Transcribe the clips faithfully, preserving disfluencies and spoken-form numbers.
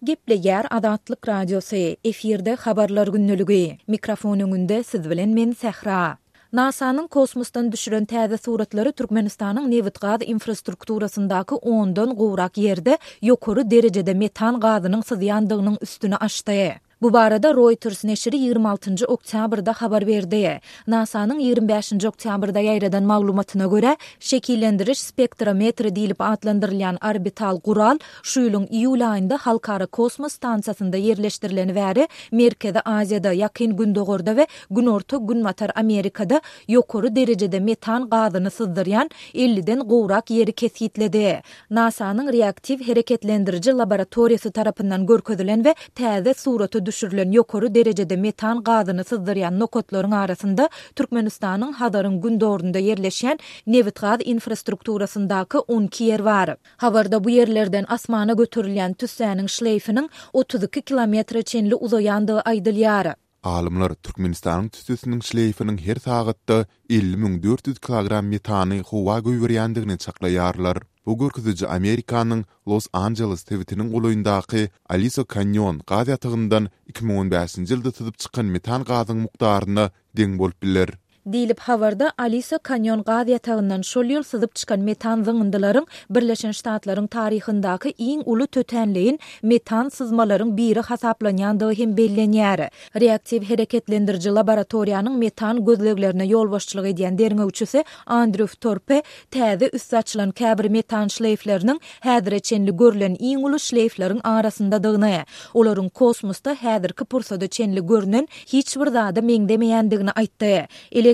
Gepleýär Azatlyk Radiosy, efirde Habarlar gündeligi. Mikrofon öňünde siz bilen men Sähra. NASA-nyň kosmosdan düşüren täze suratlary Türkmenistanyň nebit-gaz infrastrukturasyndaky ondan gowrak ýerde ýokary derejede metan gazynyň syzýandygynyň üstüni açdy. Bu barada Reuters neşiri ýigrimi altynjy oktýabrda habar berdi. NASA-nyň ýigrimi bäşinji oktýabrda ýaýradan maglumatyna görä, şekillendiriş spektrometri diýlip atlandyrylýan orbital gural şu ýylyň iýul aýynda Halkara kosmos stansiýasynda ýerleşdirileni bäri Merkezi Aziýada, Ýakyn Gündogarda we Günorta-Günbatar Amerikada ýokary derejede metan gazyny syzdyrýan elliden gowrak ýeri kesgitledi. NASA-nyň reaktiw hereketlendiriji laboratoriýasy tarapyndan görkezilen we täze surata düşürilen ýokary derejede metan gazyny syzdyrýan nokatlaryň arasynda Türkmenistanyň Hazaryň gündogarynda ýerleşýän nebitgaz infrastrukturasyndaky on iki ýer bar. Habarda bu ýerlerden asmana göterilýän tüssäniň şleýfiniň otuz iki kilometre çenli uzaýandygy aýdylýar. Alymlar Türkmenistanyň tüssesiniň şleýfiniň her sagatda elli müň dört ýüz kilogram metany howa goýberýändigini çaklaýarlar. Bu görkeziji Amerikanyň Los-Anjeles sebitiniň golaýyndaky Aliso Kanýon gaz ýatagyndan iki müň on bäşinji ýylda syzyp çykan metan gazyň mukdaryna deň bolup biler. Diýlip, habarda Aliso Kanýon gaz ýatagyndan şol ýyl syzyp çykan metan zyňyndylaryň Birleşen Ştatlaryň taryhyndaky iň uly tötänleýin metan syzmalaryň biri hasaplanýandygy hem bellenýär. Reaktiw hereketlendiriji laboratoriýanyň metan gözleglerine ýolbaşçylyk edýän derňewçisi Andrew Torpe täze üsti açylan käbir metan şleýfleriniň häzire çenli görlen iň uly şleýfleriň arasyndadygyny, olaryň kosmosda häzirki pursada çenli görnen hiç bir zada meňzemeýändigini aýtdy.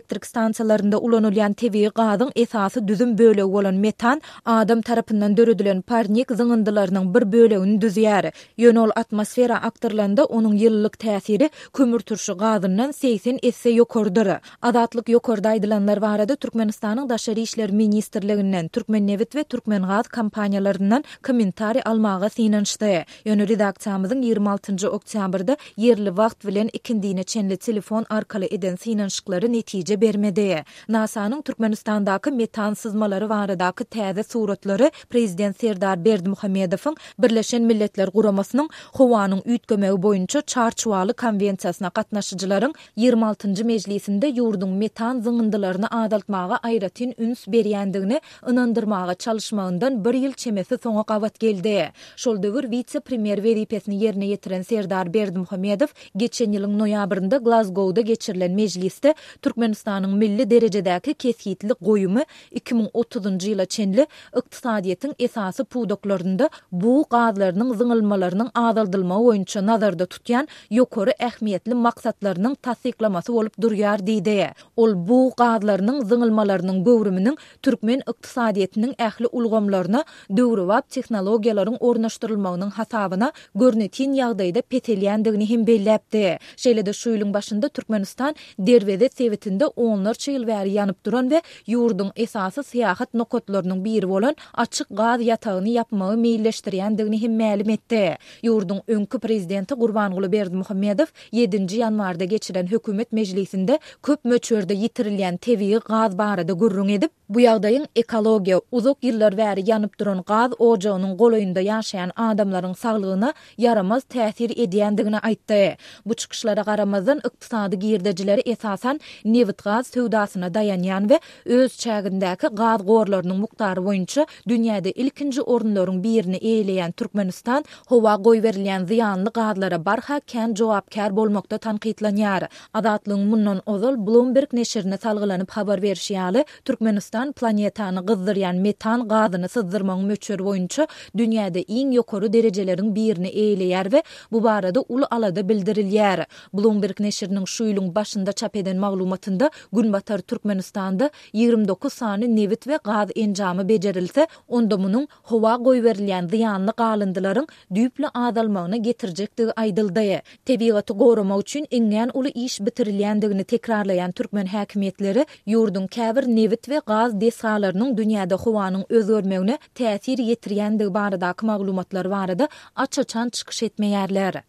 Elektrik stansiýalarynda ulanylýan tebigy gazyň esasy düzüm bölegi bolan metan adam tarapyndan döredilen parnik zyňyndylarynyň bir bölegini düzýär. Ýöne ol atmosfera akdyrylanda onuň ýylylyk täsiri kömürturşy gazyndan segsen esse ýokarydyr. Azatlyk ýokarda aýdylanlar barada Türkmenistanyň Daşary işler ministrliginden, Türkmennebit we Türkmengaz kompaniýalaryndan kommentariý almaga synanyşdy. Ýöne redaksiýamyzyň ýigrimi altynjy oktýabrda ýerli wagt bilen ikindine çenli telefon arkaly eden synanyşyklary netije bermedi. NASA-nyň Türkmenistandaky metan syzmalary baradaky täze suratlary Prezident Serdar Berdimuhamedowyň Birleşen Milletler Guramasynyň howanyň üýtgemegi boýunça çarçuwaly konwensiýasyna gatnaşyjylaryň ýigrimi altynjy mejlisinde ýurduň metan zyňyndylaryny azaltmaga aýratyn üns berýändigini ynandyrmaga çalyşmagyndan bir ýyl çemesi soňa gabat geldi. Şol döwür wise-premýer wezipesini ýerine ýetiren Serdar Berdimuhamedow geçen ýylyň noýabrynda Glazgowda geçirilen mejlisde Türkmenistanyň milli derejedäki kesgitli goýumy iki müň otuzynjy ýyla çenli ykdysadyýetiň esasy pudaklarynda bug gazlarynyň zyňylmalarynyň azaldylmagy boýunça nazarda tutýan ýokary ähmiýetli maksatlarynyň tassyklamasy bolup durýar diýdi. Ol bug gazlarynyň zyňylmalarynyň göwrüminiň türkmen ykdysadyýetiniň ähli ulgamlaryna döwrebap tehnologiýalaryň ornaşdyrylmagynyň hasabyna görnetin ýagdaýda peselýändigini hem belläpdi. Şeýle-de şu ýylyň başynda Türkmenistan Derweze sebitinde onlarça ýyl bäri ýanyp duran we ýurduň esasy syýahat nokatlarynyň biri bolan açyk gaz ýatagyny ýapmagy meýilleşdirýändigini hem mälim etdi. Ýurduň öňki prezidenti Gurbanguly Berdimuhamedow ýedinji ýanwarda geçiren hökümet mejlisinde köp möçberde ýitirilýän tebigy gaz barada gürrüň edip, bu ýagdaýyň ekologiýa, uzak ýyllar bäri ýanyp duran gaz ojagynyň golaýynda ýaşaýan adamlaryň saglygyna ýaramaz täsir edýändigini aýtdy. Bu çykyşlara garamazdan ykdysady girdejileri esasan nebit-gaz söwdasyna daýanýan we öz çägindäki gaz gorlarynyň mukdary boýunça dünýäde ilkinji orunlaryň birini eýeleýän Türkmenistan howa goýberilýän zyýanly gazlara barha kän jogapkär bolmakda tankytlanýar. Azatlygyň mundan ozal Bloomberg neşirine salgylanyp habar berişi ýaly, Türkmenistan planetany gyzdyrýan metan gazyny syzdyrmagyň möçberi boýunça dünýäde iň ýokary derejeleriň birini eýeleýär we bu barada uly alada bildirilýär. Bloomberg neşiriniň şu ýylyň başynda çap eden maglumatynda Günbatar Türkmenistanda ýigrimi dokuz sany nebit we gaz enjamy bejerilse, onda munuň howa goýberilýän zyýanly galyndylaryň düýpli azalmagyna getirjekdigi aýdyldy. Tebigaty goramak üçin iňňän uly iş bitirilýändigini tekrarlaýan türkmen häkimiýetleri ýurduň käbir nebit we gaz desgalarynyň dünýäde howanyň özgermegine täsir ýetirýändigi baradaky maglumatlar barada aç-açan çykyş etmeýärler.